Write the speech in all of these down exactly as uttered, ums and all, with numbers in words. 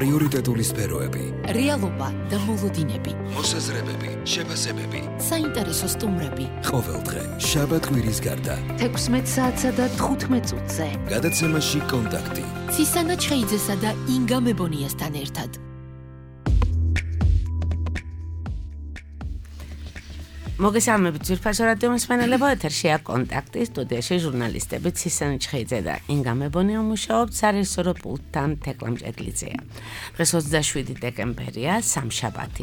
პრიორიტეტული სფეროები, რეალობა და მოლოდინები, მოსაზრებები, შეფასებები, საინტერესო სტუმრები. ყოველდღე შაბათ-კვირის გარდა თექვსმეტ საათსა და თხუთმეტ წუთზე. გადაცემაში კონტაქტი. ცისანა ჩხეიძესა და ინგა მებონიასთან ერთად. მოგესალმებით ძვირფასო რადიო მსმენელებო, ეთერშია კონტაქტი, სტუდიაში ჟურნალისტები ცისანა ჩხეიძე და ინგა მებონია მუშაობთ, სარეჟისორო პულტთან თეკლა მჭედლიძეა. დღეს ოცდაშვიდი დეკემბერია, სამშაბათი.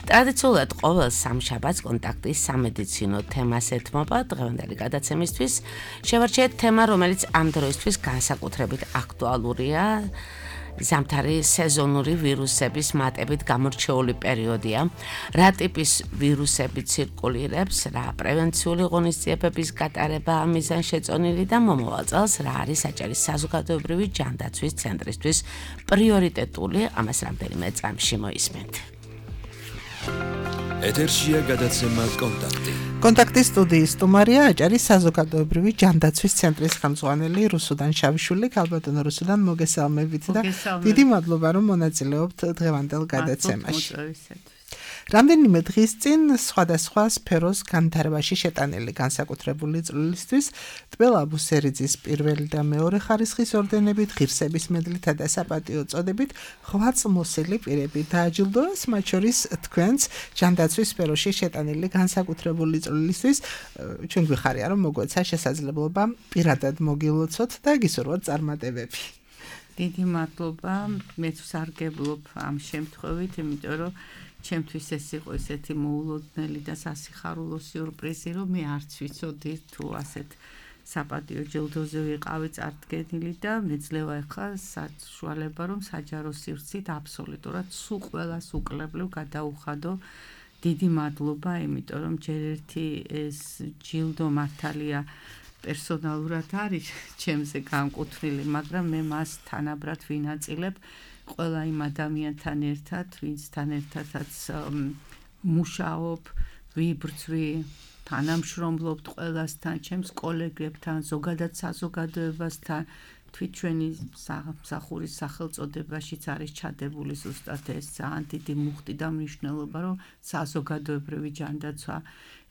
ტრადიციულად ყოველ სამშაბათს კონტაქტის სამედიცინო თემას ეთმობა. დღევანდელი გადაცემისთვის შევარჩიეთ თემა, რომელიც ამ დროისთვის განსაკუთრებით აქტუალურია. ზამთარი სეზონური ვირუსების მატებით გამორჩეული პერიოდია. რა ტიპის ვირუსები ცირკულირებს, რა პრევენციული ღონისძიებების გატარება მიზანშეწონილი და მომავალ წელს რა არის საჭირო საზოგადოებრივი ჯანდაცვის ცენტრისთვის პრიორიტეტული, ამას რამდენიმე წამში მოისმენთ. ეთერშია გადაცემა კონტაქტი. კონტაქტის სტუდიის სტუმარია აჭარის საზოგადოებრივი ჯანდაცვის ცენტრის ხელმძღვანელი რუსუდან შავიშვილი. ქალბატონო რუსუდან, მოგესალმებით და დიდი მადლობა რომ მონაწილეობთ დღევანდელ გადაცემაში. რამდენიმე დღის წინ სხვადასხვა სფეროს განვითარებაში შეტანილი განსაკუთრებული წვლილისთვის ტბელა აბუსერიძის პირველი და მეორე ხარისხის ორდენებით, ღირსების მედლითა და საპატიო წოდებით ღვაწლმოსილი პირები დააჯილდოეს, მათ შორის თქვენს ჯანდაცვის სფეროში შეტანილი განსაკუთრებული წვლილისთვის. ჩვენ გვიხარია რომ მოგვეცა შესაძლებლობა პირადად მოგილოცოთ და გისურვოთ წარმატებები. დიდი მადლობა, მეც ვსარგებლობ ამ შემთხვევით, იმიტომ რომ ჩემთვის ეს იყო ესეთი მოულოდნელი და სასიხარულო სიურპრიზი, რომ მე არც ვიცოდი თუ ასეთ საპატიო ჯილდოზე ვიყავი წარდგენილი და მეძლევა ახლა საშუალება რომ საჯარო სივრცით აბსოლუტურად სულ ყველას უკლებლივ გადაუხადო. დიდი მადლობა, იმიტომ რომ ჯერ ერთი ეს ჯილდო მართალია პერსონალურად არის ჩემზე განკუთვნილი, მაგრამ მე მას თანაბრად ვინაწილებ ყველა იმ ადამიანთან ერთად, ვინცთან ერთადაც მუშაობ, ვიბრძვი, თანამშრომლობთ ყველასთან, ჩემს კოლეგებთან, ზოგადად საზოგადოებასთან. თვით ჩვენი მსახურის სახელწოდებაშიც არის ჩადებული ზუსტად ეს ძალიან დიდი მუხტი და მნიშვნელობა, რომ საზოგადოებრივი ჯანდაცვა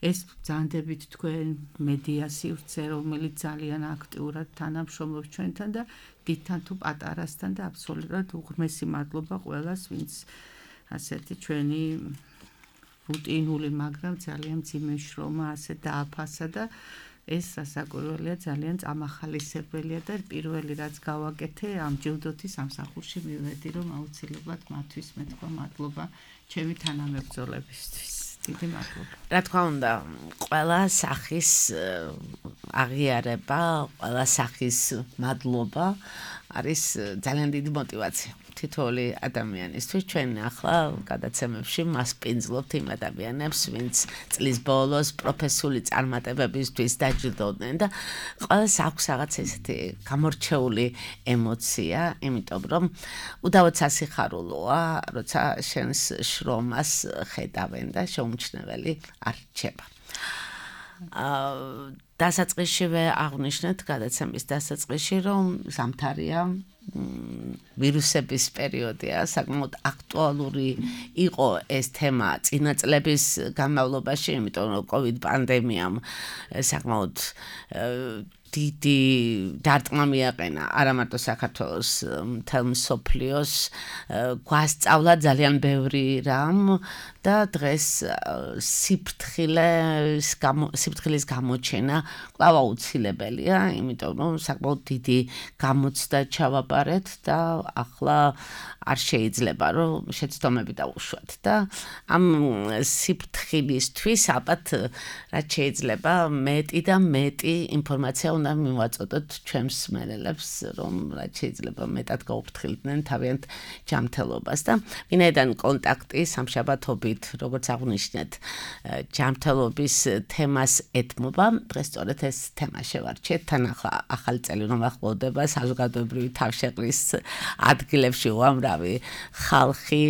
ეს ბრძანდებით თქვენ მედია სივრცე, რომელიც ძალიან აქტიურად თანამშრომლობს ჩვენთან და დიდთან თუ პატარასთან და აბსოლუტურად უღრმესი მადლობა ყველას, ვინც ასეთი ჩვენი რუტინული, მაგრამ ძალიან მძიმე შრომა ასე დააფასა და ეს სასაკვირველია, ძალიან წამახალისებელია და პირველი რაც გავაკეთე ამ ჯილდოთი სამსახურში მივედი, რომ აუცილებლად მათთვის მეთქვა მადლობა ჩემი თანამებრძოლებისთვის. დიდი მადლობა. რა თქმა უნდა, ყველა სახის აღიარება, ყველა სახის მადლობა არის ძალიან დიდი мотиваცია. თითოეული ადამიანისთვის ჩვენ ახლა გადაცემებში მასპინძლობთ იმ ადამიანებს, ვინც წლის ბოლოს პროფესიული წარმატებებისთვის დაჯილდოვდნენ და ყველას აქვს რაღაც ესეთი გამორჩეული ემოცია, იმიტომ რომ უდავოდ სასიხარულოა, როცა შენს შრომას ხედავენ და შეუმჩნეველი არ რჩება. აა დასაწყისშივე აღვნიშნეთ გადაცემის დასაწყისში, რომ ზამთარია ვირუსების პერიოდია, საკმაოდ აქტუალური იყო ეს თემა წინა წლების განმავლობაში, იმიტომ რომ კოვიდ პანდემიამ საკმაოდ დიდი დარტყმა მიაყენა არა მარტო საქართველოს, მთელ მსოფლიოს, გვასწავლა ძალიან ბევრი რამ და დღეს სიფრთხილის სიფრთხილის გამოჩენა კვლავ აუცილებელია, იმიტომ რომ საკმაოდ დიდი გამოცდა ჩავაბარეთ და ახლა არ შეიძლება რომ შეცდომები დაუშვათ და ამ სიფრთხილისთვის ალბათ რაც შეიძლება მეტი და მეტი ინფორმაცია უნდა მივაწოდოთ ჩვენს მსმენელებს, რომ რაც შეიძლება მეტად გაუფრთხილდნენ თავიანთ ჯანმრთელობას და ვინაიდან კონტაქტი სამშაბათობით, როგორც აღვნიშნეთ, ჯანმრთელობის თემას ეთმობა, დღეს სწორედ ეს თემა შევარჩიეთ. თან ახლა ახალი წელი რომ ახლოვდება, საზოგადოებრივი თავშეყრის ადგილებში უამრავი ხალხი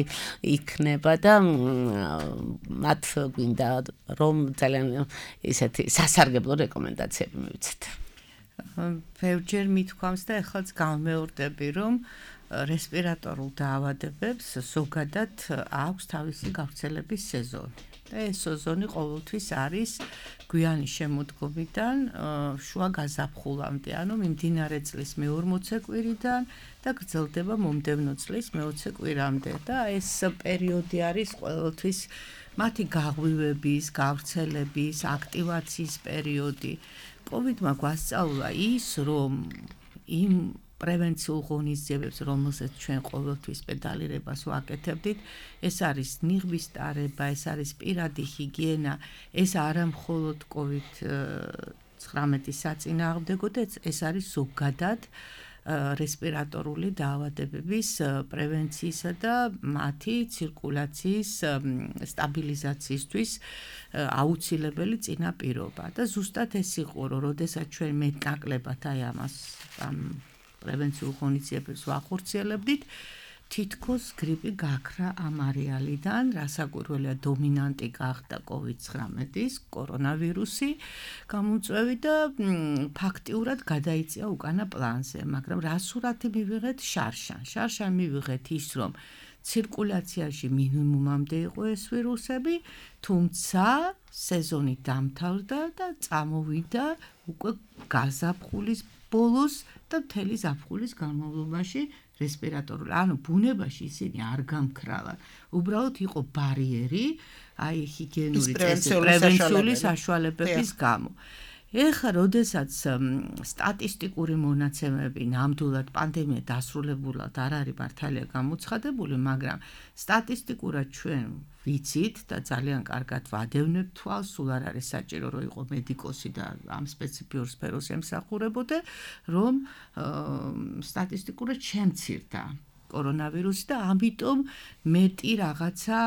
იქნება და მათ გვინდა რომ ძალიან ისეთი სასარგებლო რეკომენდაციები მივიცეთ. ბევრჯერ მithქვამს და ეხლაც გავმეორდები, რომ რესპირატორულ დაავადებებს ზოგადად აქვს თავისი გავრცელების სეზონი. და ეს სეზონი ყოველთვის არის გვიანი შემოდგომიდან შუა გაზაფხულამდე, ანუ მიმდინარე წლის მეორმოცე კვირიდან და გრძელდება მომდევნო წლის მეოცე კვირამდე. და ეს პერიოდი არის ყოველთვის მათი გაღვივების, გავრცელების, აქტივაციის პერიოდი. კოვიდმა გვასწავლა ის, რომ იმ პრევენციულ ღონისძიებებს, რომელსაც ჩვენ ყოველთვის პედალირებას ვაკეთებდით, ეს არის ნიღბის ტარება, ეს არის პირადი ჰიგიენა, ეს არა მხოლოდ კოვიდ ცხრამეტის საწინააღმდეგო, ეს არის ზოგადად რესპირატორული დაავადებების პრევენციისა და მათი ცირკულაციის სტაბილიზაციისთვის აუცილებელი წინაპირობა. და ზუსტად ეს იყო, რომ როდესაც ჩვენ მეტნაკლებად აი ამას ამ პრევენციულ ღონისძიებებს ვახორციელებდით, თითქოს გრიპი გაქრა ამ არეალიდან, რასაკვირველია დომინანტი გახდა კოვიდ ცხრამეტის კორონავირუსი გამოწვევი და ფაქტიურად გადაიწია უკანა პლანზე, მაგრამ რა სურათი მივიღეთ შარშან. შარშან მივიღეთ ის, რომ ცირკულაციაში მინიმუმამდე იყო ეს ვირუსები, თუმცა სეზონი დამთავრდა და წამოვიდა უკვე გაზაფხულის ბოლოს და მთელი ზაფხულის განმავლობაში რესპირატორული. ანუ ბუნებაში ისინი არ გამქრალან. უბრალოდ იყო ბარიერი, აი ჰიგიენური პრევენციული საშუალებების გამო. ეხლა, როდესაც სტატისტიკური მონაცემები ნამდვილად პანდემია დასრულებულად არ არის მართალია გამოცხადებული, მაგრამ სტატისტიკურად ჩვენ ვიცით და ძალიან კარგად ვადევნებთ თვალს, სულ არ არის საჭირო რომ იყო მედიკოსი და ამ სპეციფიურ სფეროს ემსახურებოდა, რომ სტატისტიკურად შემცირდა კორონავირუსი და ამიტომ მეტი რაღაცა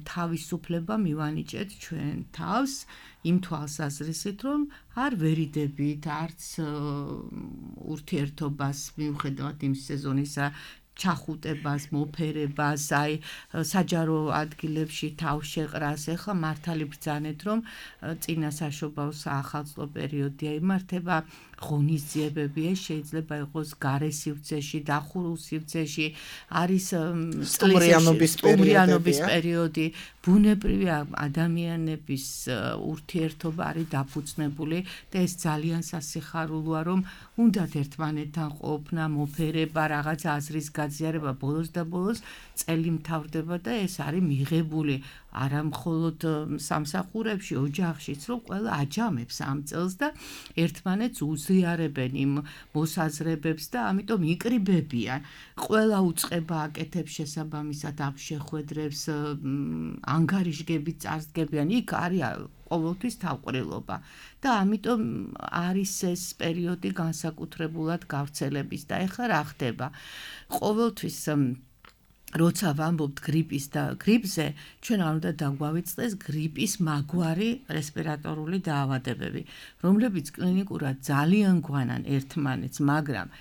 თავისუფლება მივანიჭეთ ჩვენ თავს იმ თვალსაზრისით, რომ არ ვერიდებით, არც ურთიერთობას მიუხედავად იმ სეზონისა ჩახუტებას, მოფერებას, აი საჯარო ადგილებში თავშეყრას, ეხლა მართალი ბრძანეთ, რომ წინა საშობაო საახალწლო პერიოდია იმართება, ღონისძიებები, ეს შეიძლება იყოს გარე სივრცეში, დახურულ სივრცეში, არის სტუმრიანობის პერიოდი, ბუნებრივი ადამიანების ურთიერთობა არის დაფუძნებული და ეს ძალიან სასიხარულოა, რომ უნდათ ერთმანეთთან ყოფნა, მოფერება, რაღაც აზრის გაზიარება, ბოლოს და ბოლოს წელი მთავრდება და ეს არის მიღებული არა მხოლოდ სამსახურებში, ოჯახშიც, რომ ყველა აჯამებს ამ წელს და ერთმანეთს უზიარებენ იმ მოსაზრებებს და ამიტომ იკრიბებიან. ყველა უწყება აკეთებს შესაბამისად ამ შეხვედრებს, ანგარიშგებით წარსდგებიან, იქ არის ყოველთვის თავყრილობა და ამიტომ არის ეს პერიოდი განსაკუთრებულად გავრცელების და ეხლა რა ხდება? ყოველთვის როცა ვამბობთ გრიპის და გრიპზე, ჩვენ არ უნდა დაგვავიწყდეს გრიპის მაგვარი რესპირატორული დაავადებები, რომლებიც კლინიკურად ძალიან გვანან ერთმანეთს, მაგრამ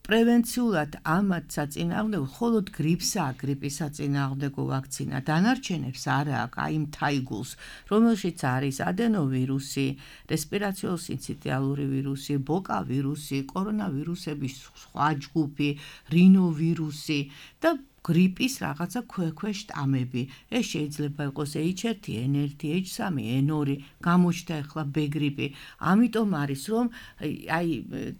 პრევენციულად ამათ საწინააღმდეგო მხოლოდ გრიპსაა გრიპის საწინააღმდეგო ვაქცინა, დანარჩენებს არა აქვს, აი იმ თაიგულს, რომელშიც არის ადენოვირუსი, რესპირაციულ-სინციტიალური ვირუსი, ბოკა ვირუსი, კორონავირუსების სხვა ჯგუფი, რინოვირუსი და გრიპის რაღაცა ქვექვე შტამები. ეს შეიძლება იყოს ეიჩ ერთი, ენ ერთი, ეიჩ სამი, ენ ორი, გამოჩნდა ახლა ბ გრიპი. ამიტომ არის რომ აი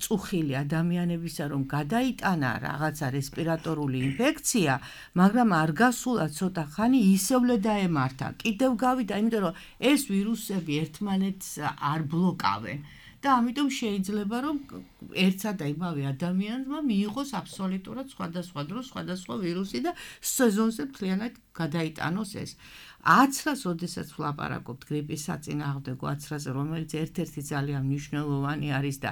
წუხილი ადამიანებისა რომ გადაიტანა რაღაცა რესპირატორული ინფექცია, მაგრამ არ გასულა ცოტა ხანი ისევლე დაემართა. კიდევ გავიდა, იმიტომ რომ ეს ვირუსები ერთმანეთს არ ბლოკავენ. და ამიტომ შეიძლება რომ ერთსა და იმავე ადამიანმა მიიღოს აბსოლუტურად სხვადასხვა დროს სხვადასხვა ვირუსი და სეზონზე მთლიანად გადაიტანოს ეს. აცრას, როდესაც ვლაპარაკობთ გრიპის საწინააღმდეგო აცრაზე, რომელიც ერთ-ერთი ძალიან მნიშვნელოვანი არის და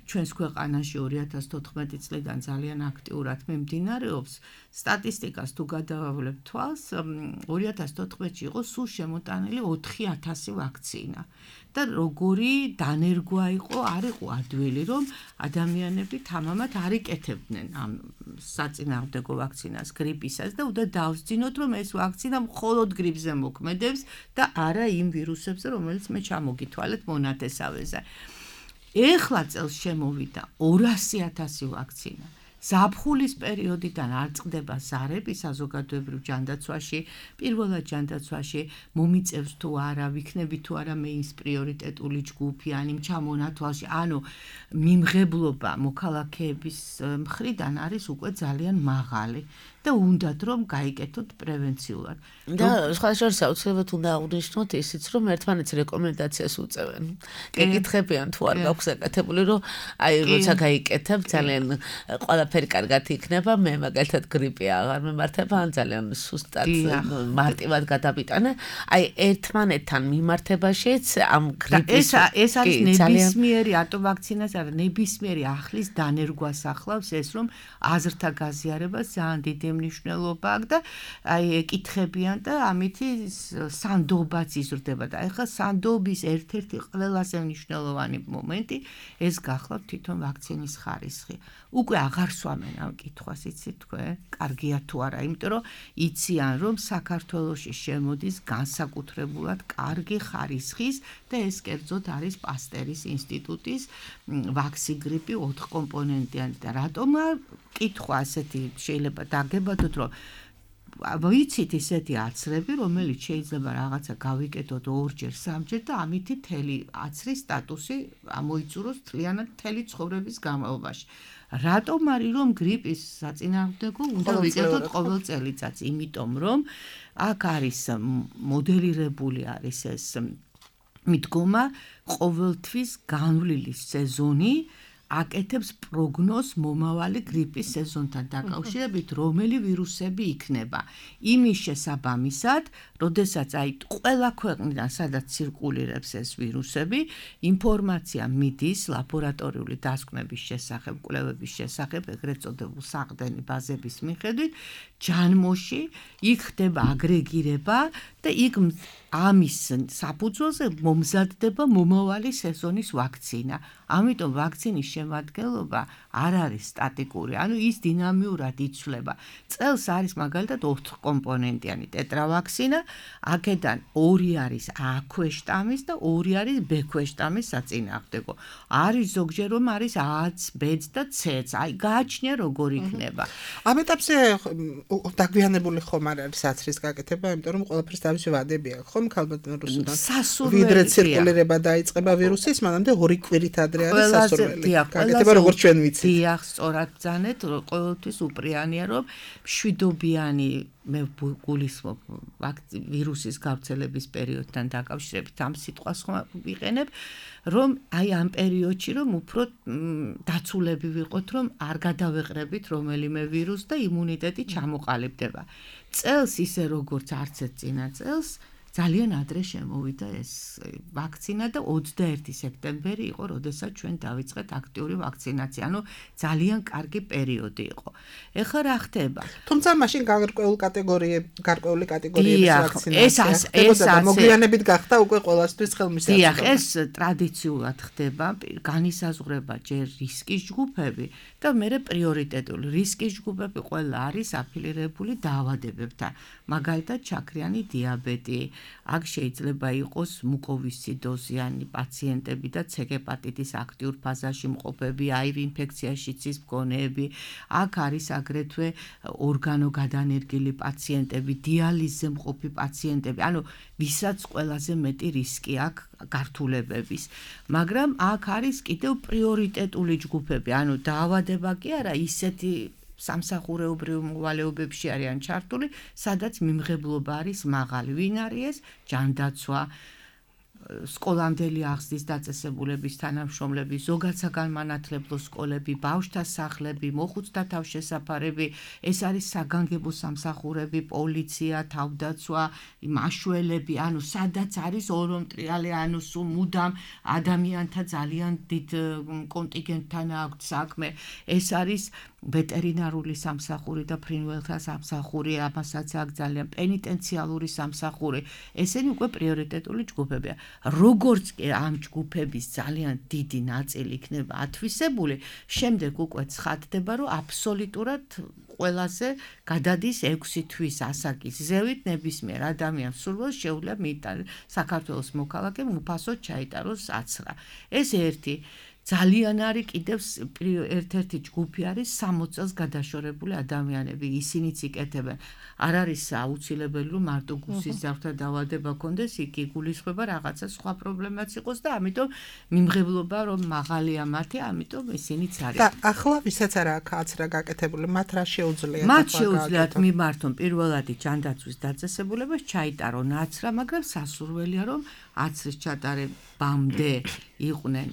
ჩვენს ქვეყანაში ორი ათას თოთხმეტი წლიდან ძალიან აქტიურად მიმდინარეობს, სტატისტიკას თუ გადავავლებთ თვალს, ორი ათას თოთხმეტში იყო სულ შემოტანილი ოთხი ათასი ვაქცინა. და როგორი დანერგვა იყო, არ იყო ადვილი, რომ ადამიანები თამამად არ იკეთებდნენ ამ საწინააღმდეგო ვაქცინას გრიპისას და უნდა დავსძინოთ, რომ ეს ვაქცინა მხოლოდ გრიპზე მოქმედებს და არა იმ ვირუსებზე, რომელიც მე ჩამოგითვალეთ მონათესავეზე. ეხლა წელს შემოვიდა ორასი ათასი ვაქცინა. ზაფხულის პერიოდიდან არ წყდება ზარები საზოგადოებრივ ჯანდაცვაში, პირველად ჯანდაცვაში მომიწევს თუ არა, ვიქნები თუ არა მეის პრიორიტეტული ჯგუფი, ან იმ ჩამონათვალში, ანუ მიმღებლობა მოქალაქეების მხრიდან არის უკვე ძალიან მაღალი და უნდათ რომ გაიკეთოთ პრევენციულად. და სხვა შორის აუცილებლად უნდა აღვნიშნოთ ისიც, რომ ერთმანეთს რეკომენდაციას უწევენ. გეკითხებიან თუ არ გაქვს გაკეთებული, რომ აი როცა გაიკეთებ ძალიან ყველაფერი კარგად იქნება, მე მაგალითად გრიპი აღარ მემართება, ან ძალიან სუსტად მარტივად გადავიტანე. აი ერთმანეთთან მიმართებაშიც ამ გრიპის ეს არის ნებისმიერი ატოვაქცინას არა ნებისმიერი ახლის დანერგვას ახლავს ეს რომ აზრთა გაზიარებას ძალიან დიდი მნიშვნელობა აქვს და აი ეკითხებიან და ამითი სანდობაც იზრდება და ეხლა სანდობის ერთ-ერთი ყველაზე მნიშვნელოვანი მომენტი ეს გახლავთ თვითონ ვაქცინის ხარისხი. უკვე აღარ სვამენ ამ კითხვას იცით თქვენ? კარგია თუ არა, იმიტომ რომ იციან რომ საქართველოში შემოდის განსაკუთრებულად კარგი ხარისხის და ეს კერძოდ არის პასტერის ინსტიტუტის ვაქსიგრიპი ოთხ კომპონენტიანი და რატომა კითხვა ასეთი შეიძლება დაგებადოთ რომ ვიცით ისეთი აცრები, რომელიც შეიძლება რაღაცა გავიკეთოთ ორჯერ, სამჯერ და ამითი მთელი აცრის სტატუსი ამოიწუროს მთლიანად მთელი ცხოვრების განმავლობაში. რატომ არის რომ გრიპის საწინააღმდეგო უნდა ვიკეთოთ ყოველ წელიწადს? იმიტომ რომ აქ არის მოდელირებული არის ეს მიდგომა ყოველთვის განვლილი სეზონი აკეთებს პროგნოზს მომავალი გრიპის სეზონთან დაკავშირებით, რომელი ვირუსები იქნება. იმის შესაბამისად, როდესაც აი ყველა ქვეყნიდან სადაც ცირკულირებს ეს ვირუსები, ინფორმაცია მიდის ლაბორატორიული დასკვნების შესახებ, კვლევების შესახებ, ეგრეთ წოდებულ საყრდენი ბაზების მიხედვით, ჯანმოში იქ ხდება აგრეგირება და იქ ამის საფუძველზე მომზადდება მომავალი სეზონის ვაქცინა. ამიტომ ვაქცინის შემადგენლობა არ არის სტატიკური, ანუ ის დინამიურად იცვლება. წელს არის მაგალითად ოთხ კომპონენტიანი ტეტრავაქსინა, აქედან ორი არის A ქვეშტამის და ორი არის B ქვეშტამის საწინააღმდეგო. არის ზოგჯერ რომ არის A-ც, B-ც და C-ც. აი გააჩნია როგორ იქნება. ამ ეტაპზე დაგვიანებული ხომ არ არის აცრის გაკეთება, იმიტომ რომ ყველაფერს თავისი ვადები აქვს, ხომ ქალბატონ რუსუდან. ვიდრე ცირკულირება დაიწყება ვირუსის, მანამდე ორი კვირით ადრე არის სასურველი. გაკეთება როგორც ჩვენ ვიცით. დიახ, სწორად ბრძანეთ, ყოველთვის უპრიანია რომ მშვიდობიანი მე გულისხმობ ვირუსის გავრცელების პერიოდთან დაკავშირებით ამ სიტყვას ხომ ვიყენებ, რომ აი ამ პერიოდში რომ უფრო დაცულები ვიყოთ, რომ არ გადავეყრებით რომელიმე ვირუსს და იმუნიტეტი ჩამოყალიბდება. წელს ისე როგორც არც ერთ წინა წელს ძალიან ადრე შემოვიდა ეს ვაქცინა და ოცდაერთი სექტემბერი იყო, როდესაც ჩვენ დავიწყეთ აქტიური ვაქცინაცია. ანუ ძალიან კარგი პერიოდი იყო. ეხლა რა ხდება? თუმცა მაშინ გარკვეული კატეგორიები, გარკვეული კატეგორიების ვაქცინაცია ეს ეს მოგვიანებით გახდა უკვე ყველასთვის ხელმისაწვდომი. დიახ, ეს ტრადიციულად ხდება, განისაზღვრება ჯერ რისკის ჯგუფები და მერე პრიორიტეტული რისკის ჯგუფები ყველა არის აფილირებული დაავადებებთან. მაგალითად, ჩაქრიანი დიაბეტი, აქ შეიძლება იყოს მუკოვისციდოზიანი პაციენტები და C ჰეპატიტის აქტიურ ფაზაში მყოფები, აი ვი ინფექციაში ცის მქონეები, აქ არის აგრეთვე ორგანოგადანერგილი პაციენტები, დიალიზზე მყოფი პაციენტები, ანუ ვისაც ყველაზე მეტი რისკი აქვს გართულებების. მაგრამ აქ არის კიდევ პრიორიტეტული ჯგუფები, ანუ დაავადება კი არა, ისეთი სამსახურეობრივ მოვალეობებში არიან ჩართული, სადაც მიმღებლობა არის მაღალი. ვინ არის ეს? ჯანდაცვა, სკოლამდელი აღზრდის დაწესებულების თანამშრომლები, ზოგად საგანმანათლებლო სკოლები, ბავშვთა სახლები, მოხუცთა თავშესაფარები, ეს არის საგანგებო სამსახურები, პოლიცია, თავდაცვა, მაშველები, ანუ სადაც არის ორომტრიალი, ანუ სულ მუდამ ადამიანთა ძალიან დიდ კონტინგენტთან აქვს საქმე. ეს არის ვეტერინარული სამსახური და ფრინველთა სამსახური, ამასაც აქვს ძალიან პენიტენციალური სამსახური. ესენი უკვე პრიორიტეტული ჯგუფებია. როგორც კი ამ ჯგუფების ძალიან დიდი ნაწილი იქნება ათვისებული, შემდეგ უკვე ცხადდება, რომ აბსოლუტურად ყველაზე გადადის ექვსი თვის ასაკის ზევით ნებისმიერ ადამიანს სურვილს შეუძლია მიიტანოს საქართველოს მოქალაქემ უფასოდ ჩაიტაროს აცრა. ეს ერთი ძალიან არის კიდევ ერთ-ერთი ჯგუფი არის სამოცი წელს გადაშორებული ადამიანები, ისინიც იკეთებენ. არ არის აუცილებელი რომ მარტო გუსის ძაღლთა დაავადება კონდეს, იქ იგულისხმება რაღაცა სხვა პრობლემაც იყოს და ამიტომ მიმღებლობა რომ მაღალია მათი, ამიტომ ისინიც არის. და ახლა ვისაც არა აქვს აცრა გაკეთებული, მათ რა შეუძლიათ? მათ შეუძლიათ მიმართონ პირველადი ჯანდაცვის დაწესებულებას, ჩაიტარონ აცრა, მაგრამ სასურველია რომ აცრის ჩატარებამდე იყვნენ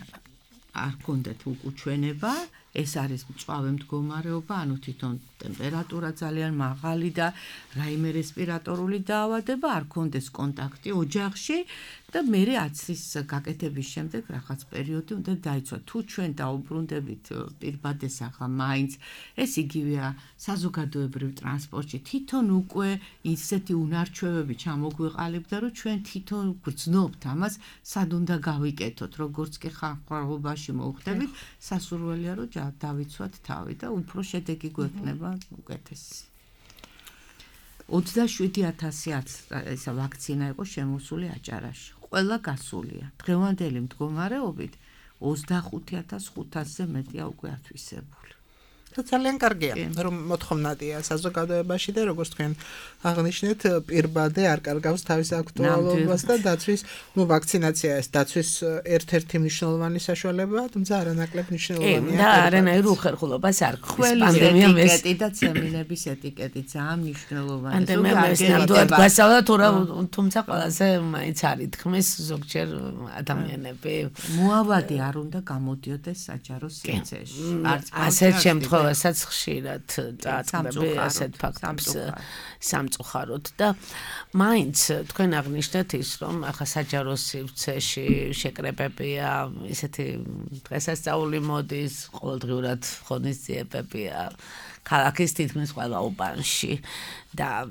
არ კონდეთ უკუჩვენება, ეს არის მწვავე მდგომარეობა, ანუ თვითონ ტემპერატურა ძალიან მაღალი და რაიმე რესპირატორული დაავადება, არ კონდეს კონტაქტი ოჯახში და მერე აცრის გაკეთების შემდეგ რაღაც პერიოდი უნდა დაიცვა. თუ ჩვენ დაუბრუნდებით პირბადეს ახლა მაინც ეს იგივეა საზოგადოებრივ ტრანსპორტში თვითონ უკვე ისეთი უნარჩვევები ჩამოგვეყალიბდა, რომ ჩვენ თვითონ გრძნობთ ამას, სად უნდა გავიკეთოთ, როგორც კი ხალხობაში მოვხდებით, სასურველია რომ დავიცვათ თავი და უფრო შედეგი გვექნება უკეთესი. ოცდაშვიდი ათასი ესა ვაქცინა იყო შემოსული აჭარაში. ყველა გასულია. დღევანდელი მდგომარეობით ოცდახუთი ათას ხუთასზე მეტია უკვე ათვისებული. ძალიან კარგია, რომ მოთხოვნადია საზოგადოებაში და როგორც თქვენ აღნიშნეთ, პირბადე არ კარგავს თავის აქტუალობას და დაცვის, ну, ვაქცინაცია ეს დაცვის ერთ-ერთი მნიშვნელოვანი საშუალებაა, თუმცა არანაკლებ მნიშვნელოვანია. და არანაირ უხერხულობას არ გქვის პანდემიამ ეს ეტიკეტი და ცემინების ეტიკეტი ძალიან მნიშვნელოვანია. პანდემიამ ეს ნამდვილად გასავლა, თუმცა ყველაზე მაინც არის თქმის ზოგჯერ ადამიანები. მოავადი არ უნდა გამოდიოდეს საჯარო სივრცეში. არც ასეთ შემთხვევაში რასაც ხშირად წაწყდები ასეთ ფაქტებს სამწუხაროდ და მაინც თქვენ აღნიშნეთ ის რომ ახლა საჯარო სივრცეში შეკრებებია ისეთი დღესასწაული მოდის ყოველდღიურად ღონისძიებებია ქალაქის თითქმის ყველა უბანში და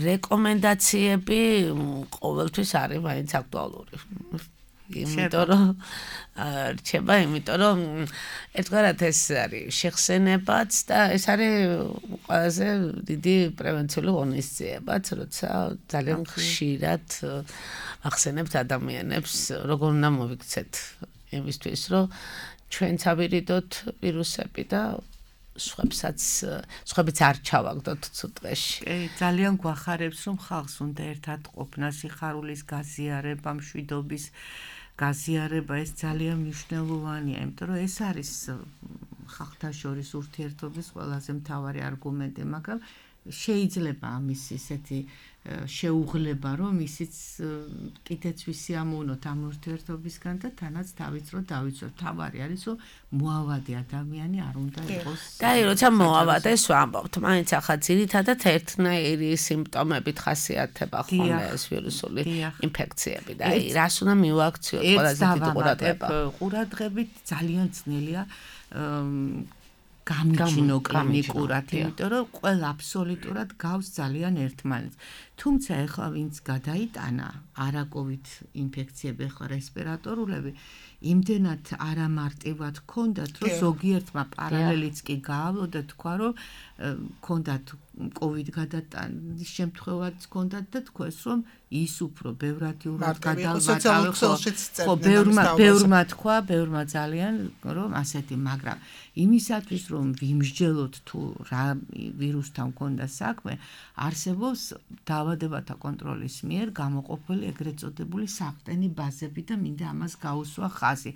რეკომენდაციები ყოველთვის არის მაინც აქტუალური იმიტომ რომ რჩება, იმიტომ რომ ერთგვარად ეს არის შეხსენებაც და ეს არის ყველაზე დიდი პრევენციული ღონისძიებაც, როცა ძალიან ხშირად ახსენებთ ადამიანებს, როგორ უნდა მოვიქცეთ იმისთვის, რომ ჩვენც ავირიდოთ ვირუსები და სხვებსაც სხვებიც არ ჩავაგდოთ ცუდ დღეში. კი, ძალიან გვახარებს, რომ ხალხს უნდა ერთად ყოფნა, სიხარულის გაზიარება, მშვიდობის გაზიარება, ეს ძალიან მნიშვნელოვანია, იმიტომ რომ ეს არის ხალხთა შორის ურთიერთობის ყველაზე მთავარი არგუმენტი, მაგრამ შეიძლება ამის ისეთი შეუღლება, რომ ისიც კიდეც ვისიამოვნოთ ამ ურთიერთობისგან და თანაც თავიც რო დავიცვათ. თავარი არის, რომ მოავადი ადამიანი არ უნდა იყოს. და აი, როცა მოავადეს ვამბობთ, მაინც ახლა ძირითადად ერთნაირი სიმპტომებით ხასიათდება ხოლმე ეს ვირუსული ინფექციები და აი, რას უნდა მივაქციოთ ყველაზე დიდი ყურადღება. ყურადღებით ძალიან ძნელია გამიჩინო კლინიკურად, იმიტომ რომ ყველა აბსოლუტურად გავს ძალიან ერთმანეთს. თუმცა ეხლა ვინც გადაიტანა არაკოვიდ ინფექციები, ეხლა რესპირატორულები, იმდენად არამარტივად ჰქონდათ, რომ ზოგიერთმა პარალელიც კი გაავლოდა, თქვა, რომ ჰქონდათ კოვიდ გადატანის შემთხვევაც ჰქონდათ და თქვეს, რომ ის უფრო ბევრად იურად გადავატავე, ხო, ბევრმა ბევრმა თქვა, ბევრმა ძალიან, რომ ასეთი, მაგრამ იმისათვის, რომ ვიმსჯელოთ თუ რა ვირუსთან ჰქონდა საქმე, არსებობს დაავადებათა კონტროლის მიერ გამოყოფილი ეგრეთ წოდებული საყრდენი ბაზები და მინდა ამას გაუსვა ხაზი.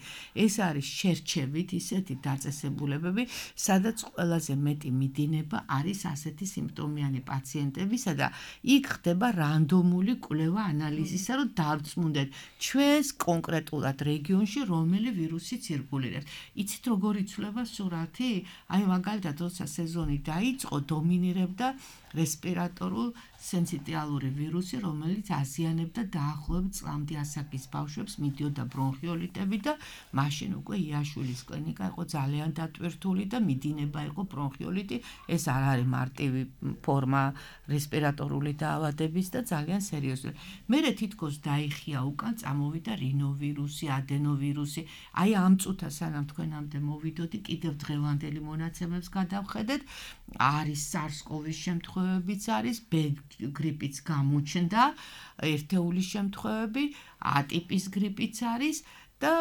ეს არის შერჩევით ისეთი დაწესებულებები, სადაც ყველაზე მეტი მიდინება არის ასეთი სიმპტომიანი პაციენტებისა და იქ ხდება რანდომული კვლევა ანალიზისა, რომ დავწმუნდეთ ჩვენს კონკრეტულად რეგიონში რომელი ვირუსი ცირკულირებს. იცით როგორ იცვლება სურათი? აი მაგალითად, როცა სეზონი დაიწყო, დომინირებდა რესპირატორულ სენსიტიალური ვირუსი, რომელიც აზიანებდა დაახლოებით წლამდე ასაკის ბავშვებს, მიდიოდა ბრონხიოლიტები და მაშინ უკვე იაშვილის კლინიკა იყო ძალიან დატვირთული და მიდინება იყო ბრონხიოლიტი. ეს არ არის მარტივი ფორმა რესპირატორული დაავადების და ძალიან სერიოზული. მერე თითქოს დაიხია უკან, წამოვიდა რინოვირუსი, ადენოვირუსი. აი ამ წუთას სანამ თქვენამდე მოვიდოდი, კიდევ დღევანდელი მონაცემებს გადავხედეთ, არის SARS-CoV-ის შემთხვევებიც არის, B გრიპიც გამოჩნდა, ერთეულის შემთხვევები, A ტიპის გრიპიც არის და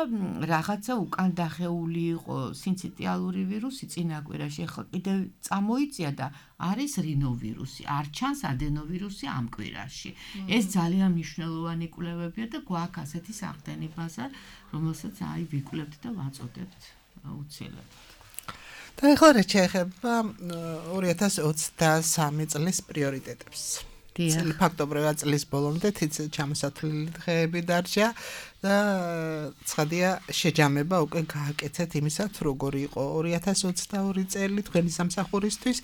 რაღაცა უკან დახეული იყო სინციტიალური ვირუსი წინაკვირაში, ახლა კიდევ წამოიწია და არის რინოვირუსი, არ ჩანს ადენოვირუსი ამ კვირაში. ეს ძალიან მნიშვნელოვანი კვლევებია და გვაქვს ასეთი სახდენი ბაზა, რომელსაც აი ვიკვლევთ და ვაწოდებთ უცილებლად. და ახლა რა შეეხება ორი ათას ოცდასამი წლის პრიორიტეტებს. წელი ფაქტობრივად წლის ბოლომდე თიც ჩამოსათვლელი დღეები დარჩა და ცხადია შეჯამება უკვე გააკეთეთ იმისაც როგორი იყო ორი ათას ოცდაორი წელი თქვენი სამსახურისთვის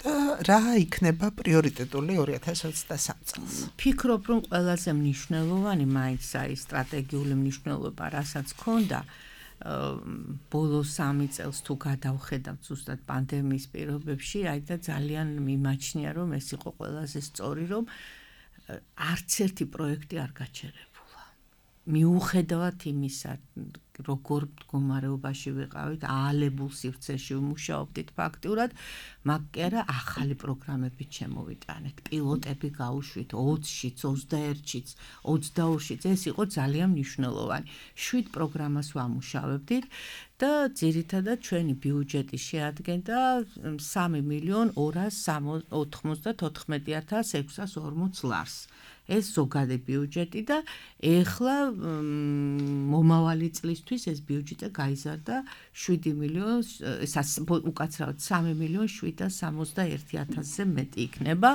და რა იქნება პრიორიტეტული ორი ათას ოცდასამი წელს. ფიქრობ რომ ყველაზე მნიშვნელოვანი მაინც აი სტრატეგიული მნიშვნელობა რასაც ქონდა ბოლო სამი წელს თუ გადავხედავთ ზუსტად პანდემიის პირობებში, აი და ძალიან მიმაჩნია რომ ეს იყო ყველაზე სწორი რომ არც ერთი პროექტი არ გაჩერებულა. მიუხედავად იმისა, როგორ მდგომარეობაში ვიყავით, აალებულ სივრცეში ვმუშაობდით ფაქტურად, მაგ კი არა ახალი პროგრამებით შემოვიტანეთ, პილოტები გავუშვით ოცშიც, ოცდაერთშიც, ოცდაორშიც, ეს იყო ძალიან მნიშვნელოვანი. შვიდ პროგრამას ვამუშავებდით და ძირითადად ჩვენი ბიუჯეტი შეადგენდა სამი მილიონი ორას ოთხმოცდათოთხმეტი ათას ექვსას ორმოც ლარს. ეს ზოგადი ბიუჯეტი და ეხლა მომავალი წლისთვის ეს ბიუჯეტი გაიზარდა შვიდი მილიონი, უკაცრავად სამი მილიონი შვიდას სამოცდაერთი ათასზე მეტი იქნება.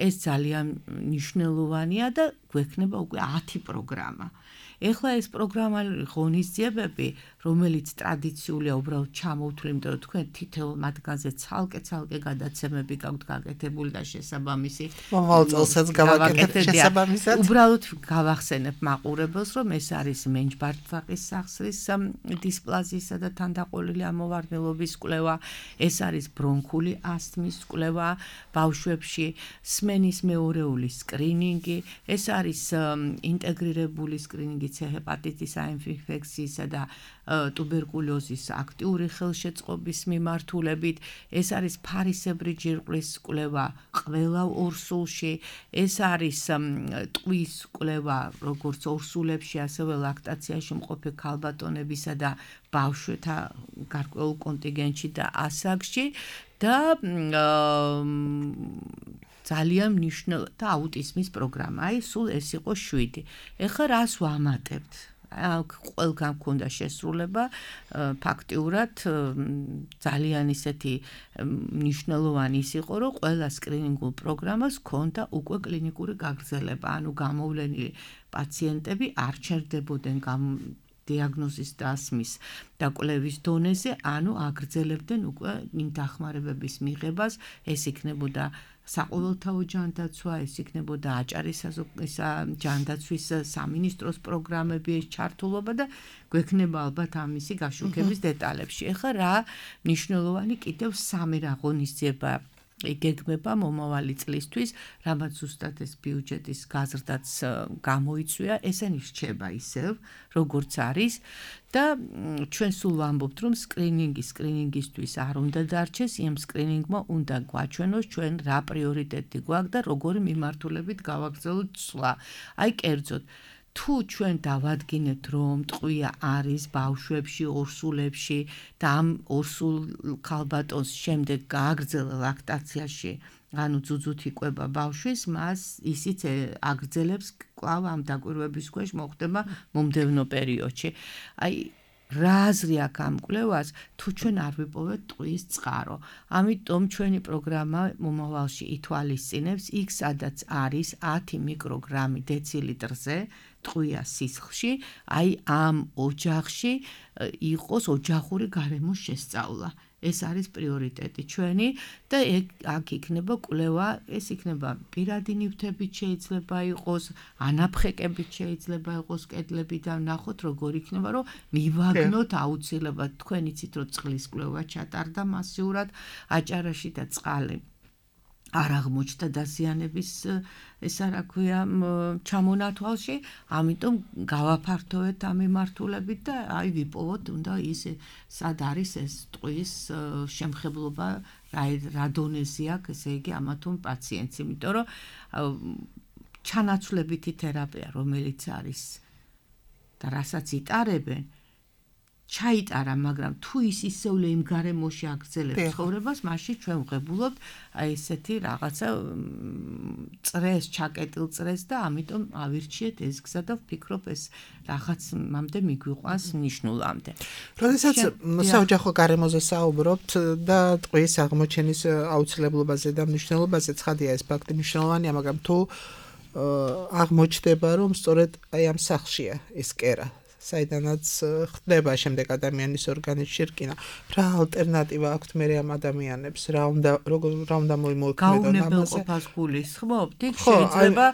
ეს ძალიან მნიშვნელოვანია და გვექნება უკვე ათი პროგრამა. ეხლა ეს პროგრამული ღონისძიებები, რომელიც ტრადიციულია უბრალოდ ჩამოვთვლი, იმიტომ რომ თქვენ თითოეულ მათგანზე ცალკე-ცალკე გადაცემები გაქვთ გაკეთებული და შესაბამისი. მომავალ წელსაც გავაკეთეთ შესაბამისად. უბრალოდ გავახსენებ მაყურებელს, რომ ეს არის მენჯბარტვაყის სახსრის დისპლაზიისა და თანდაყოლილი ამოვარდნილობის კვლევა, ეს არის ბრონქული ასთმის კვლევა ბავშვებში, სმენის მეორეული სკრინინგი, ეს არის ინტეგრირებული სკრინინგი ჰეპატიტის A ინფექციისა და ტუბერკულოზის აქტიური ხელშეწყობის მიმართულებით, ეს არის ფარისებრი ჯირკვლის კვლევა ყველა ორსულში, ეს არის ტყვის კვლევა როგორც ორსულებში, ასევე ლაქტაციაში მყოფი ქალბატონებისა და ბავშვთა გარკვეულ კონტინგენტში და ასაკში და ძალიან მნიშვნელოვანი და აუტიზმის პროგრამა. აი, სულ ეს იყო შვიდი. ეხლა რას ვამატებთ? ყველგან გქონდა შესრულება, ფაქტიურად ძალიან ისეთი მნიშვნელოვანი ის იყო, რომ ყველა სკრინინგულ პროგრამას ჰქონდა უკვე კლინიკური გაგრძელება, ანუ გამოვლენილი პაციენტები არ ჩერდებოდნენ დიაგნოზის დასმის და კვლევის დონეზე, ანუ აგრძელებდნენ უკვე იმ დახმარებების მიღებას, ეს იქნებოდა საყოველთაო ჯანდაცვა, ეს იქნებოდა აჭარის ჯანდაცვის სამინისტროს პროგრამები, ეს ჩართულობა და გვექნება ალბათ ამისი გაშუქების დეტალებში. ეხლა რა მნიშვნელოვანი კიდევ სამი რა ღონისძიება იგეგმება მომავალი წლისთვის, რამაც ზუსტად ეს ბიუჯეტის გაზრდაც გამოიწვია, ესენი რჩება ისევ, როგორც არის და ჩვენ სულ ვამბობთ, რომ სკრინინგი სკრინინგისთვის არ უნდა დარჩეს, იმ სკრინინგმა უნდა გვაჩვენოს ჩვენ რა პრიორიტეტი გვაქვს და როგორი მიმართულებით გავაგრძელოთ ცვლა. აი კერძოდ თუ ჩვენ დავადგინეთ, რომ ტყვია არის ბავშვებში, ორსულებში და ამ ორსულ ქალბატონს შემდეგ გააგრძელა ლაქტაციაში, ანუ ძუძუთ იკვება ბავშვის, მას ისიც აგრძელებს კვლავ ამ დაკვირვების ქვეშ მოხდება მომდევნო პერიოდში. აი რა აზრი აქვს ამ კვლევას, თუ ჩვენ არ ვიპოვეთ ტყვის წყარო. ამიტომ ჩვენი პროგრამა მომავალში ითვალისწინებს იქ, სადაც არის ათი მიკროგრამი დეცილიტრზე ტყვია სისხლში, აი ამ ოჯახში იყოს ოჯახური გარემოს შესწავლა. ეს არის პრიორიტეტი ჩვენი და აქ იქნება კვლევა, ეს იქნება პირადი ნივთებით შეიძლება იყოს, ანაფხეკებით შეიძლება იყოს კედლები და ნახოთ როგორ იქნება, რომ მივაგნოთ აუცილებლად. თქვენ იცით, რომ წყლის კვლევა ჩატარდა მასიურად აჭარაში და წყალი არ აღმოჩნდა დაზიანების ესა რა ქვია ჩამონათვალში, ამიტომ გავაფართოვეთ ამ მიმართულებით და აი ვიპოვოთ უნდა ის სად არის ეს ტყვის შემხებლობა, რა დონეზე აქვს, ესე იგი ამა თუ პაციენტს, იმიტომ რომ ჩანაცვლებითი თერაპია, რომელიც არის და რასაც იტარებენ ჩაიტარა, მაგრამ თუ ის ისევლე იმ გარემოში აგრძელებს ცხოვრებას, მაშინ ჩვენ ვღებულობთ აი ესეთი რაღაცა წრეს, ჩაკეტილ წრეს და ამიტომ ავირჩიეთ ეს გზა და ვფიქრობ ეს რაღაც მამდე მიგვიყვანს ნიშნულამდე. როდესაც საოჯახო გარემოზე საუბრობთ და ტყვის აღმოჩენის აუცილებლობაზე და მნიშვნელობაზე, ცხადია ეს ფაქტი მნიშვნელოვანია, მაგრამ თუ აღმოჩნდება, რომ სწორედ აი ამ სახლშია ეს კერა საიდანაც ხდება შემდეგ ადამიანის ორგანიზმში რკინა. რა ალტერნატივა აქვს მე ამ ადამიანებს? რა უნდა რა უნდა მოიმოქმედონ ამაზე? გაუნებელყოფას გულისხმობთ? იქ შეიძლება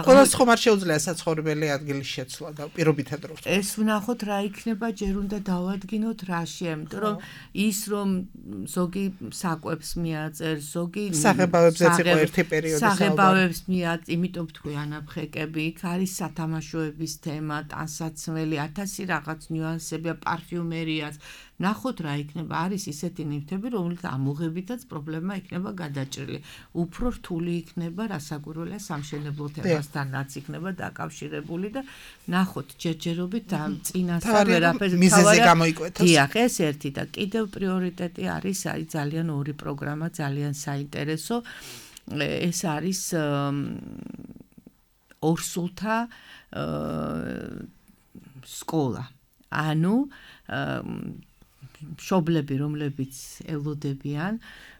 ყველას ხომ არ შეუძლია საცხოვრებელი ადგილის შეცვლა და პირობითად რო. ეს ვნახოთ რა იქნება, ჯერ უნდა დავადგინოთ რაშია, იმიტომ რომ ის რომ ზოგი საკვებს მიაწერს, ზოგი საღებავებზეც იყო ერთი პერიოდი საუბარი. საღებავებს მიაწერს, იმიტომ თქვი ანაფხეკები, იქ არის სათამაშოების თემა, ტანსაცმელი ათასი რაღაც ნიუანსებია, პარფიუმერიაც. ნახოთ რა იქნება, არის ისეთი ნივთები, რომელიც ამოღებითაც პრობლემა იქნება გადაჭრილი. უფრო რთული იქნება, რასაკვირველია სამშენებლო თემასთანაც იქნება დაკავშირებული და ნახოთ ჯერჯერობით ამ წინასწარ ვერაფერს მიზეზი გამოიკვეთოს. დიახ, ეს ერთი და კიდევ პრიორიტეტი არის, არის ძალიან ორი პროგრამა, ძალიან საინტერესო. ეს არის ორსულთა სკოლა. ანუ მშობლები, რომლებიც ელოდებიან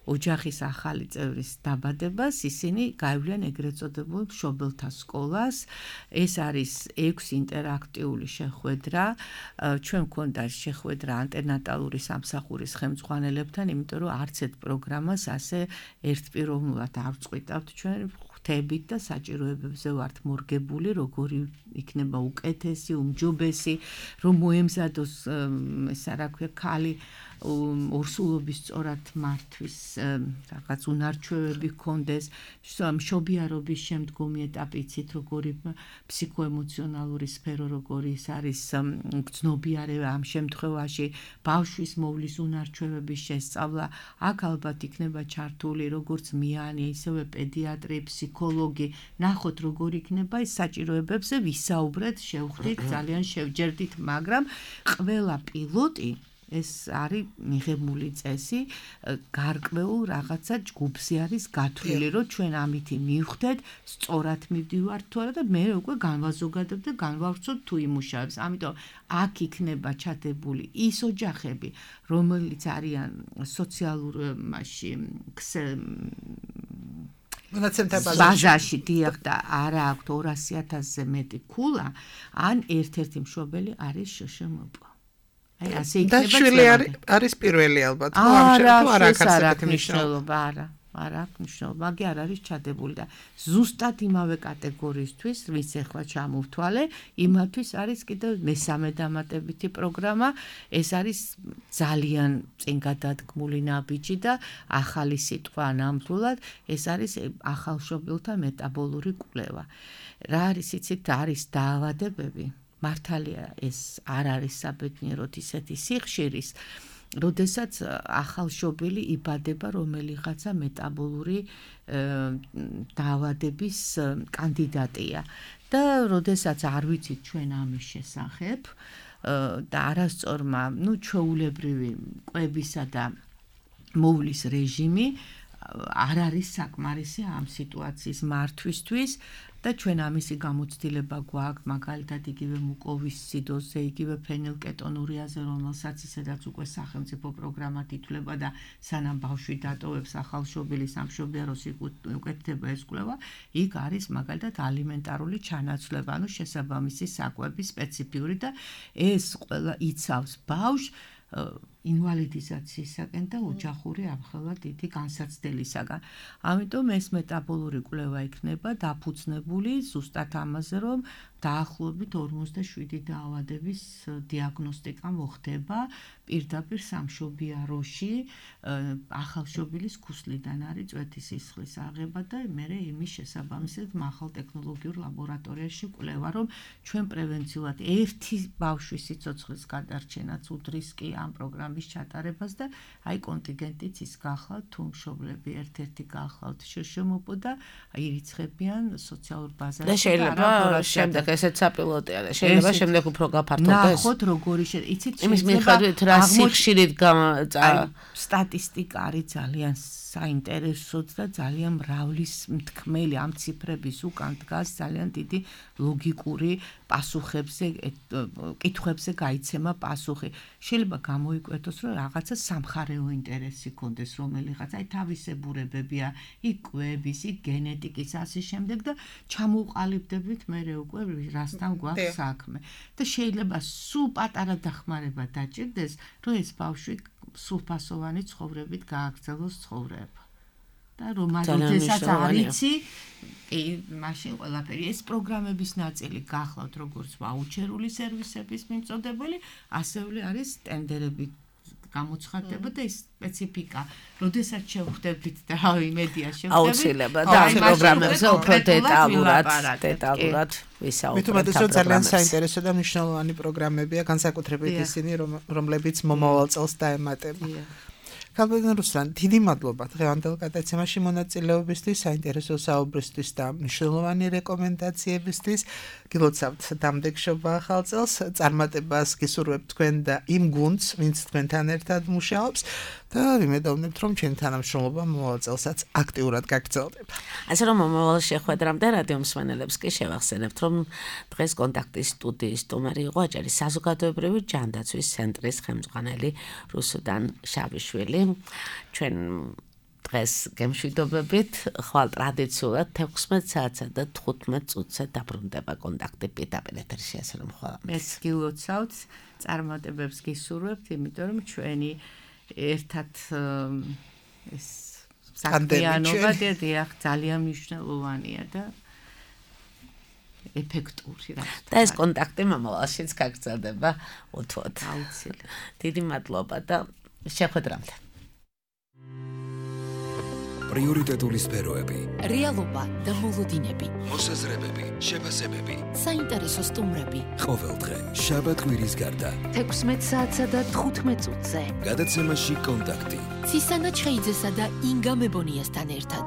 ოჯახის ახალი წევრის დაბადებას, ისინი გაივლიან ეგრეთ წოდებულ მშობელთა სკოლას. ეს არის ექვსი ინტერაქტიული შეხვედრა. ჩვენ გვქონდა შეხვედრა ანტენატალური სამსახურის ხელმძღვანელებთან, იმიტომ რომ არც ერთ პროგრამას ასე ერთპიროვნულად არ ვწყვიტავთ ჩვენ ხთებით და საჭიროებებზე ვართ მორგებული, როგორი იქნება უკეთესი, უმჯობესი, რომ მოემზადოს ესა რა ქვია, ქალი ორსულობის სწორად მართვის რაღაც უნარჩვევები ჰქონდეს, მშობიარობის შემდგომი ეტაპი იცით, როგორი ფსიქოემოციონალური სფერო, როგორი ის არის გრძნობიარევა ამ შემთხვევაში, ბავშვის მოვლის უნარჩვევების შესწავლა, აქ ალბათ იქნება ჩართული როგორც მიანი, ისევე პედიატრი, ფსიქოლოგი, ნახოთ როგორ იქნება ის საჭიროებებზე ვისაუბრეთ, შევხვდით, ძალიან შევჯერდით, მაგრამ ყველა პილოტი ეს არის მიღებული წესი, გარკვეულ რაღაცა ჯგუფზე არის გათვლილი, რომ ჩვენ ამითი მივხვდეთ, სწორად მივდივართ თუ არა და მე უკვე განვაზოგადებ და განვავრცოთ თუ იმუშავებს. ამიტომ აქ იქნება ჩადებული ის ოჯახები, რომელიც არიან სოციალურ მასში ბაზაში დიახ და არა აქვთ ორასი ათასზე მეტი ქულა, ან ერთ-ერთი მშობელი არის შშმპ. აი ასე იქნება. და შვილი არის პირველი ალბათ, თუ ამ შემთხვევაში არ აქვს ასეთი მნიშვნელობა. არა, არ აქვს მნიშვნელობა, მაგი არ არის ჩადებული და ზუსტად იმავე კატეგორიისთვის, ვის ახლა ჩამოვთვალე, იმათვის არის კიდევ მესამე დამატებითი პროგრამა, ეს არის ძალიან წინ გადადგმული ნაბიჯი და ახალი სიტყვა ნამდვილად, ეს არის ახალშობილთა მეტაბოლური კვლევა. რა არის იცით, არის დაავადებები მართალია ეს არ არის საბედნიეროდ ისეთი სიხშირის, როდესაც ახალშობილი იბადება რომელიღაცა მეტაბოლური დაავადების კანდიდატია და როდესაც არ ვიცით ჩვენ ამის შესახებ და არასწორმა, ну, ჩვეულებრივი კვებისა და მოვლის რეჟიმი არ არის საკმარისი ამ სიტუაციის მართვისთვის და ჩვენ ამისი გამოცდილება გვაქვს, მაგალითად იგივე მუკოვისციდოზზე, იგივე ფენილკეტონურიაზე, რომელსაც ისედაც უკვე სახელმწიფო პროგრამად ითვლება და სანამ ბავშვი დატოვებს ახალშობილის სამშობიაროს უკეთდება ეს კვლევა, იქ არის მაგალითად ალიმენტარული ჩანაცვლება, ანუ შესაბამისი საკვები სპეციფიური და ეს ყველა იცავს ბავშვს ინვალიდიზაციისაგან და ოჯახური ამხელა დიდი განსაცდელისაგან. ამიტომ ეს მეტაბოლური კვლევა იქნება დაფუძნებული ზუსტად ამაზე, რომ დაახლოებით ორმოცდაშვიდი დაავადების დიაგნოსტიკა მოხდება პირდაპირ სამშობიაროში, ახალშობილის ქუსლიდან არის წვეთის სისხლის აღება და მერე იმის შესაბამისად მაღალ ტექნოლოგიურ ლაბორატორიაში კვლევა, რომ ჩვენ პრევენციულად ერთი ბავშვის სიცოცხლის გადარჩენაც უდრისკი ამ პროგრამის ჩატარებას და აი კონტინგენტიც ის გახლავთ, თუ მშობლები ერთ-ერთი გახლავთ შშმპ და ირიცხებიან სოციალურ ბაზარში. და შეიძლება შემდეგ ნახე, ესეც საპილოტია და შეიძლება შემდეგ უფრო გაფართოვდეს. ნახოთ როგორი შე, იცით, იმის მიხედვით რა სიხშირით სტატისტიკა არის ძალიან საინტერესოც და ძალიან მრავლის მთქმელი ამ ციფრების უკან დგას ძალიან დიდი ლოგიკური პასუხებზე, კითხვებზე გაიცემა პასუხი. შეიძლება გამოიკვეთოს, რომ რაღაცა სამხარეო ინტერესი კონდეს რომელიღაც, აი თავისებურებებია, იქ კვების, იქ გენეტიკის ასე შემდეგ და ჩამოუყალიბდებით მერე უკვე რასთან გვაქვს საქმე. და შეიძლება სულ პატარა დახმარება დაჭირდეს, რომ ეს ბავშვი სრულფასოვანი ცხოვრებით გააგრძელოს ცხოვრება. და რომ მაგალითად არიცი, კი, მაშინ ყველაფერი ეს პროგრამების ნაწილი გახლავთ როგორც ვაუჩერული სერვისების მიმწოდებელი, ასევე არის ტენდერები გამოცხადდება და ის სპეციფიკა, როდესაც შევხვდებით და რავი მედია შევხვდებით. აუცილებლად და ამ პროგრამებზე უფრო დეტალურად, დეტალურად ვისაუბრებთ. მithumetes რომ ძალიან საინტერესო და მნიშვნელოვანი პროგრამებია, განსაკუთრებით ისინი, რომლებიც მომავალ წელს დაემატება. ქალბატონ რუსლან, დიდი მადლობა დღევანდელ გადაცემაში მონაწილეობისთვის, საინტერესო საუბრისთვის და მნიშვნელოვანი რეკომენდაციებისთვის. გილოცავთ დამდეგშობა ახალ წელს, წარმატებას გისურვებთ თქვენ და იმ გუნდს, ვინც თქვენთან ერთად მუშაობს და ვიმედოვნებთ, რომ ჩვენი თანამშრომლობა მომავალ წელსაც აქტიურად გაგრძელდება. ასე რომ მომავალ შეხვედრამდე რადიო მსმენელებს კი შევახსენებთ, რომ დღეს კონტაქტის სტუდიის სტუმარი იყო აჭარის საზოგადოებრივი ჯანდაცვის ცენტრის ხელმძღვანელი რუსუდან შავიშვილი. ჩვენ დღეს გემშვიდობებით, ხვალ ტრადიციულად თექვსმეტ საათსა და თხუთმეტ წუთზე დაბრუნდება კონტაქტი პირდაპირ ეთერში, ასე რომ ხვალ მეც გილოცავთ, წარმატებებს გისურვებთ, იმიტომ რომ ჩვენი ერთად ეს საქმიანობა დიახ ძალიან მნიშვნელოვანია და ეფექტური რა. და ეს კონტაქტი მომავალშიც გაგრძელდება უთუოდ. აუცილებლად. დიდი მადლობა და შეხვედრამდე. პრიორიტეტული სფეროები, რეალობა და მოლოდინები, მოსაზრებები, შეფასებები, საინტერესო სტუმრები. ყოველდღე შაბათ კვირის გარდა თექვსმეტ საათსა და თხუთმეტ წუთზე გადაცემაში კონტაქტი. ცისანა ჩხეიძესა და ინგა მებონიასთან ერთად.